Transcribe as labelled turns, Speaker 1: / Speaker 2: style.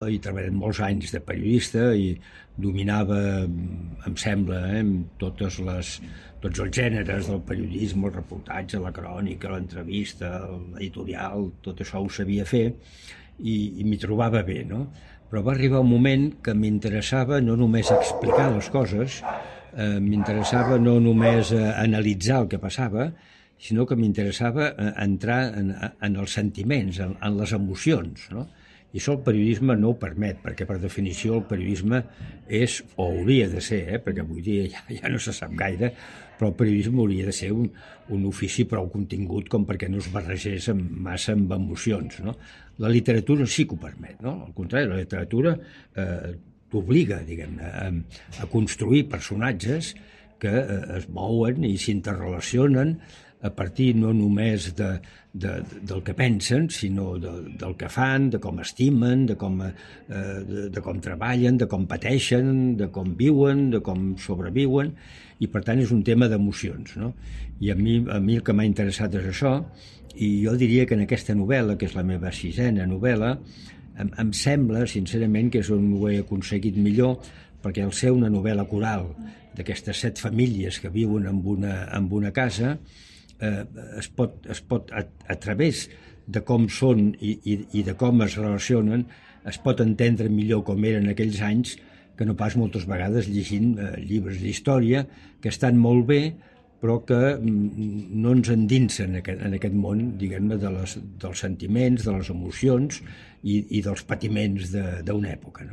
Speaker 1: He treballat molts anys de periodista i dominava, em sembla, tots els gèneres del periodisme, el reportatge, la crònica, l'entrevista, l'editorial, tot això ho sabia fer i m'hi trobava bé, no? Però va arribar un moment que m'interessava no només explicar les coses, m'interessava no només analitzar el que passava, sinó que m'interessava entrar en els sentiments, en les emocions, no? I això el periodisme no ho permet, perquè per definició el periodisme és, o hauria de ser, perquè avui dia ja no se sap gaire, però el periodisme hauria de ser un ofici prou contingut com perquè no es barregés massa amb emocions, no? La literatura sí que ho permet, no? Al contrari, la literatura t'obliga, diguem-ne, a construir personatges que es mouen i s'interrelacionen a partir no només del que pensen, sinó del que fan, de com estimen, de com treballen, de com pateixen, de com viuen, de com sobreviuen, i per tant és un tema d'emocions, no? I a mi el que m'ha interessat és això, i jo diria que en aquesta novel·la, que és la meva 6a novel·la, em sembla, sincerament, que és on ho he aconseguit millor, perquè al ser una novel·la coral d'aquestes 7 famílies que viuen en una casa, es pot a través de com són i de com es relacionen, es pot entendre millor com eren aquells anys que no pas moltes vegades llegint llibres d'història que estan molt bé però que no ens endinsen en aquest món, diguem-ne, dels sentiments, de les emocions i dels patiments d'una època, no?